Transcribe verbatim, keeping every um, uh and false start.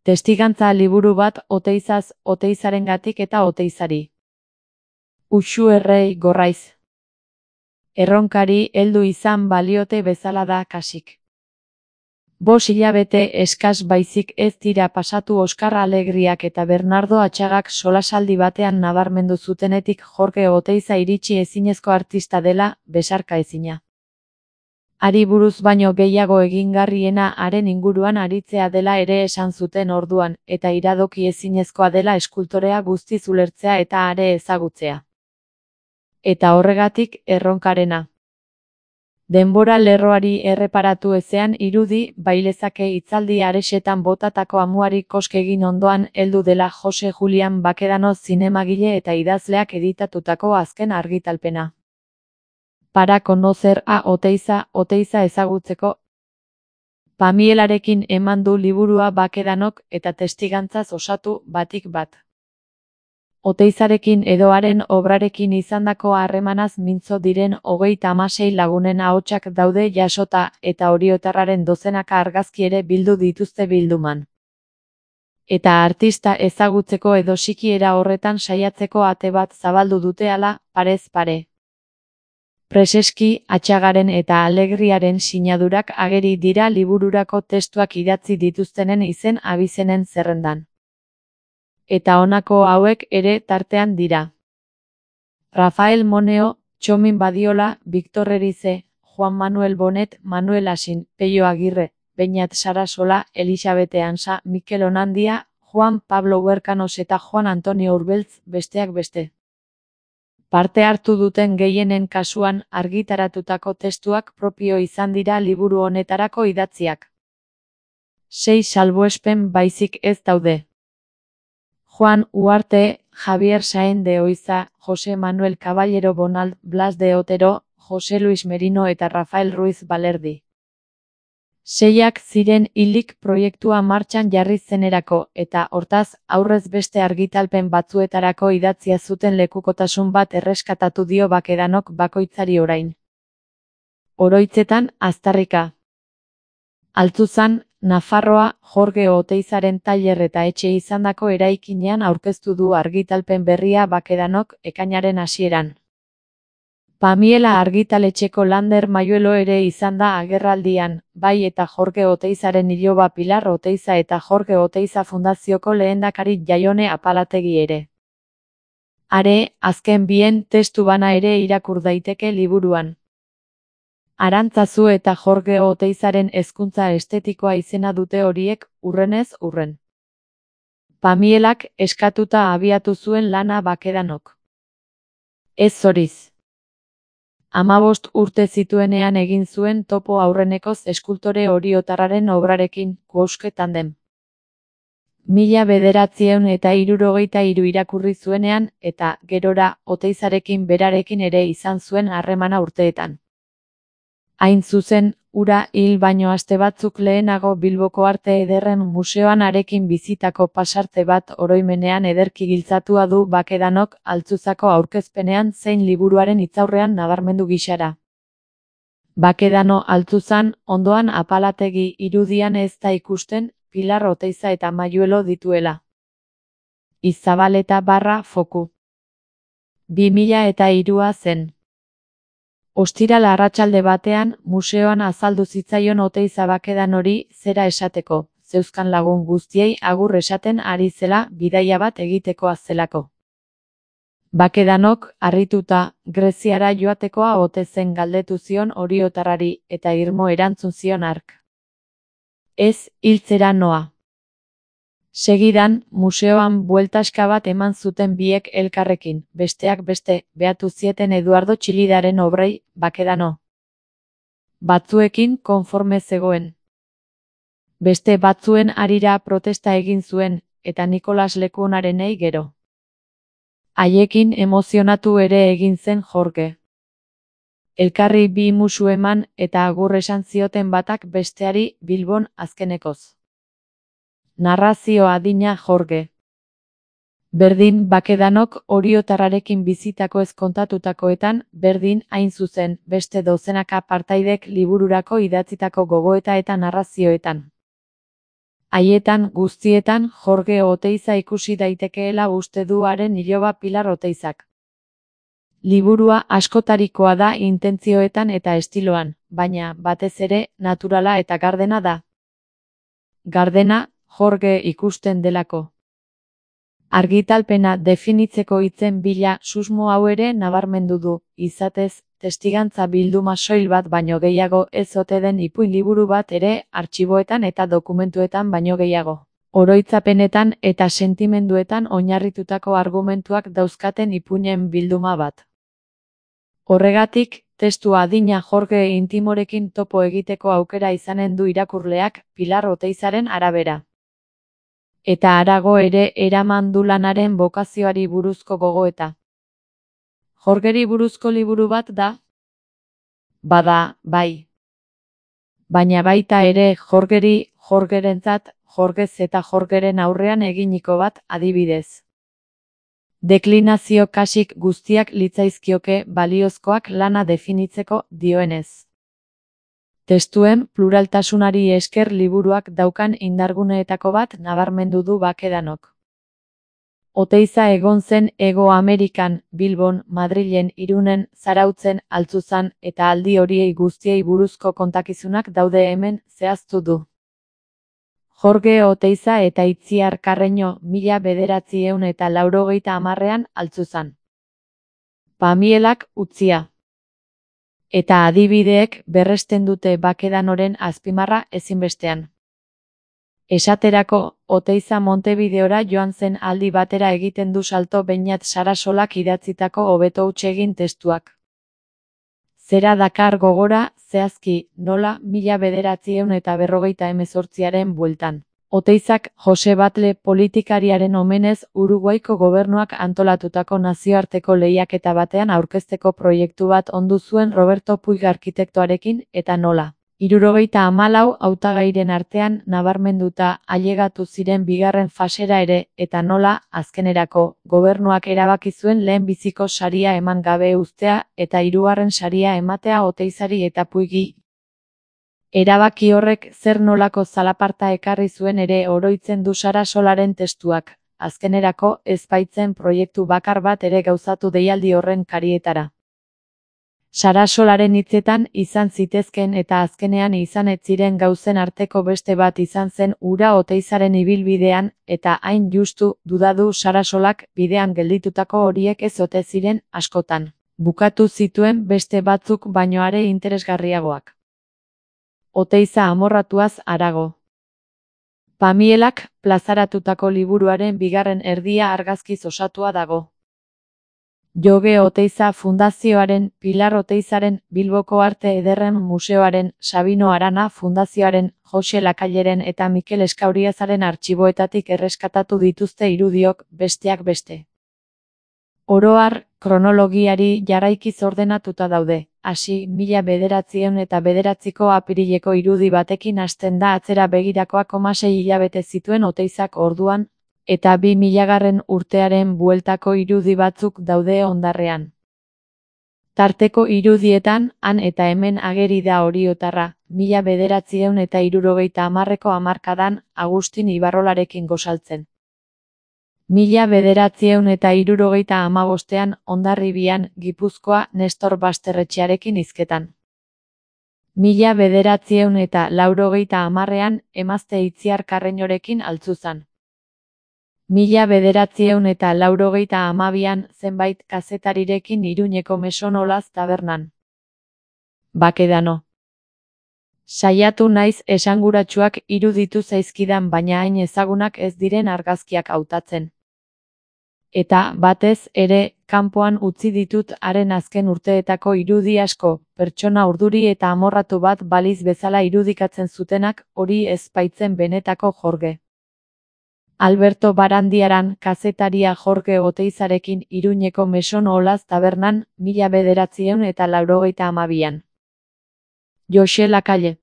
Testigantza liburu bat Oteizaz, Oteizarengatik eta Oteizari. Uxu errei gorraiz. Erronkari heldu izan baliote bezala da kasik. Bos hilabete eskas baizik ez dira pasatu Oskar Alegriak eta Bernardo Atxagak solasaldi batean nabarmendu zutenetik Jorge Oteiza iritsi ezinezko artista dela, besarka ezina. Hari buruz baino gehiago egingarriena haren inguruan aritzea dela ere esan zuten orduan, eta iradoki ezinezkoa dela eskultorea guztiz ulertzea eta are ezagutzea. Eta horregatik erronkarena. Denbora lerroari erreparatu ezean irudi bailezake hitzaldi aresetan botatako amuari kosk egin ondoan heldu dela Jose Julian Bakedano zinemagile eta idazleak editatutako azken argitalpena. Para conocer a Oteiza, Oteiza ezagutzeko. Pamielarekin eman du liburua Bakedanok eta testigantzaz osatu batik bat. Oteizarekin edo haren obrarekin izandako harremanaz mintzo diren hogeita hamasei lagunen ahotsak daude jasota eta oriotarraren dozenaka argazki ere bildu dituzte bilduman. Eta artista ezagutzeko edo sikiera horretan saiatzeko ate bat zabaldu dute hala, parez pare. Preseski, Atxagaren eta Alegriaren sinadurak ageri dira libururako testuak idatzi dituztenen izen abizenen zerrendan. Eta honako hauek ere tartean dira. Rafael Moneo, Txomin Badiola, Victor Erize, Juan Manuel Bonet, Manuel Asin, Peio Agirre, Beñat Sarasola, Elisabete Ansa, Mikel Onandia, Juan Pablo Huerkanos eta Juan Antonio Urbeltz, besteak beste. Parte hartu duten gehienen kasuan argitaratutako testuak propio izan dira liburu honetarako idatziak. Sei salbuespen baizik ez daude. Juan Uarte, Javier Saen de Oiza, Jose Manuel Caballero Bonald, Blas de Otero, Jose Luis Merino eta Rafael Ruiz Balerdi. Seiak ziren hilik proiektua martxan jarri zenerako eta hortaz aurrez beste argitalpen batzuetarako idatzia zuten lekukotasun bat erreskatatu dio Bakedanok bakoitzari orain. Oroitzetan, Aztarrika. Altzuzan, Nafarroa, Jorge Oteizaren tailer eta etxe izandako eraikinean aurkeztu du argitalpen berria Bakedanok ekainaren hasieran. Pamiela argitaletxeko Lander Mayuelo ere izan da agerraldian, bai eta Jorge Oteizaren iloba Pilar Oteiza eta Jorge Oteiza Fundazioko lehendakari Jaione Apalategi ere. Are, azken bien testu bana ere irakur daiteke liburuan. Arantzazu eta Jorge Oteizaren hezkuntza estetikoa izena dute horiek, urrenez urren. Pamielak eskatuta abiatu zuen lana Bakedanok. Ez zoriz. Hamabost urte zituenean egin zuen topo aurrenekoz eskultore oriotarraren obrarekin, Kuoske tandem. Mila bederatziehun eta hirurogeita hiru irakurri zuenean, eta, gerora, Oteizarekin berarekin ere izan zuen harremana urteetan. Hain zuzen, hura hil baino aste batzuk lehenago Bilboko Arte Ederren Museoan harekin bizitako pasarte bat oroimenean ederki giltzatua du Bakedanok Altzuzako aurkezpenean zein liburuaren hitzaurrean nabarmendu gisara. Bakedano Altzuzan, ondoan Apalategi irudian ez da ikusten, Pilar Oteiza eta Mayuelo dituela. Izabaleta barra foku. bi mila eta hirua zen. Ostiral arratsalde batean, museoan azaldu zitzaion Oteiza Bakedanori zera esateko, zeuzkan lagun guztiei agur esaten ari zela bidaia bat egitekoa zelako. Bakedanok, harrituta, Greziara joatekoa ote zen galdetu zion oriotarrari eta irmo erantzun zion hark. Ez, hiltzera noa. Segidan, museoan bueltaska bat eman zuten biek elkarrekin, besteak beste, behatu zieten Eduardo Txilidaren obrei, Bakedano. Batzuekin konforme zegoen. Beste batzuen harira protesta egin zuen, eta Nikolas Lekuonarenei gero. Haiekin emozionatu ere egin zen Jorge. Elkarri bi musu eman eta agur esan zioten batak besteari Bilbon azkenekoz. Narrazio adina Jorge. Berdin Bakedanok oriotarrarekin bizitako ez kontatutakoetan, berdin hain zuzen beste dozenaka partaidek libururako idatzitako gogoeta eta narrazioetan. Haietan guztietan Jorge Oteiza ikusi daitekeela uste du haren iloba Pilar Oteizak. Liburua askotarikoa da intentzioetan eta estiloan, baina batez ere naturala eta gardena da. Gardena, Jorge ikusten delako. Argitalpena definitzeko hitzen bila susmo hau ere nabarmendu du, izatez, testigantza bilduma soil bat baino gehiago ez ote den ipuin liburu bat ere artxiboetan eta dokumentuetan baino gehiago. Oroitzapenetan eta sentimenduetan oinarritutako argumentuak dauzkaten ipuinen bilduma bat. Horregatik, testu adina Jorge intimorekin topo egiteko aukera izanen du irakurleak Pilar Oteizaren arabera. Eta harago ere eraman du lanaren bokazioari buruzko gogoeta. Jorgeri buruzko liburu bat da? Bada, bai. Baina baita ere Jorgeri, Jorgerentzat, Jorgez eta Jorgeren aurrean eginiko bat adibidez. Deklinazio kasik guztiak litzaizkioke baliozkoak lana definitzeko dioenez. Testuen pluraltasunari esker liburuak daukan indarguneetako bat nabarmendu du Bakedanok. Oteiza egon zen Hego Amerikan, Bilbon, Madrilen, Irunen, Zarautzen, Altzuzan eta aldi horiei guztiei buruzko kontakizunak daude hemen zehaztu du. Jorge Oteiza eta Itziar Karreño mila bederatziehun eta laurogeita hamarrean Altzuzan. Pamielak utzia. Eta adibideek berresten dute Bakedanoren azpimarra ezinbestean. Esaterako, Oteiza Montevideora joan zen aldi batera egiten du salto Beñat Sarasolak idatzitako hobeto huts egin testuak. Zera dakar gogora, zehazki, nola mila bederatziehun eta berrogeita hemezortziaren bueltan. Oteizak Jose Batle politikariaren omenez Uruguaiko gobernuak antolatutako nazioarteko lehiaketa batean aurkezteko proiektu bat ondu zuen Roberto Puig arkitektoarekin eta nola. Hirurogeita hamalau hautagairen artean nabarmenduta ailegatu ziren bigarren fasera ere eta nola, azkenerako, gobernuak erabaki zuen lehenbiziko saria eman gabe uztea eta hirugarren saria ematea Oteizari eta Puigi. Erabaki horrek zer nolako zalaparta ekarri zuen ere oroitzen du Sarasolaren testuak, azkenerako ez baitzen proiektu bakar bat ere gauzatu deialdi horren karietara. Sarasolaren hitzetan izan zitezken eta azkenean izan ez ziren gauzen arteko beste bat izan zen hura Oteizaren ibilbidean eta hain justu dudadu Sarasolak bidean gelditutako horiek ez ote ziren askotan. Bukatu zituen beste batzuk baino are interesgarriagoak. Oteiza amorratuaz harago. Pamielak plazaratutako liburuaren bigarren erdia argazkiz osatua dago. Joge Oteiza Fundazioaren, Pilar Oteizaren, Bilboko Arte Ederren Museoaren, Sabino Arana Fundazioaren, Jose Lakaileren eta Mikel Eskauriazaren artxiboetatik erreskatatu dituzte irudiok, besteak beste. Oro har, kronologiari jarraikiz ordenatuta daude. Hasi, mila bederatziehun eta bederatziko apirileko irudi batekin hasten da atzera begirakoak hamasei hilabete zituen Oteizak orduan, eta bi milagarren urtearen bueltako irudi batzuk daude hondarrean. Tarteko irudietan, han eta hemen ageri da oriotarra, mila bederatziehun eta hirurogeita hamarreko hamarkadan, Agustin Ibarrolarekin gosaltzen. Mila bederatziehun eta hirurogeita hamabostean Hondarribian, Gipuzkoa, Nestor Basterretxearekin hizketan. Mila bederatziehun eta laurogeita hamarrean Emazte Itziar Karreñorekin Altzuzan. Mila bederatziehun eta laurogeita hamabian zenbait kazetarirekin Iruñeko Mesonolaz tabernan. Bakedano. Saiatu naiz esanguratsuak iruditu zaizkidan baina hain ezagunak ez diren argazkiak hautatzen. Eta, batez ere, kanpoan utzi ditut haren azken urteetako irudi asko, pertsona urduri eta amorratu bat baliz bezala irudikatzen zutenak, hori ez baitzen benetako Jorge. Alberto Barandiaran, kazetaria Jorge Oteizarekin Iruñeko Mesonolaz tabernan, mila bederatziehun eta laurogeita hamabian. Jose Lakalle.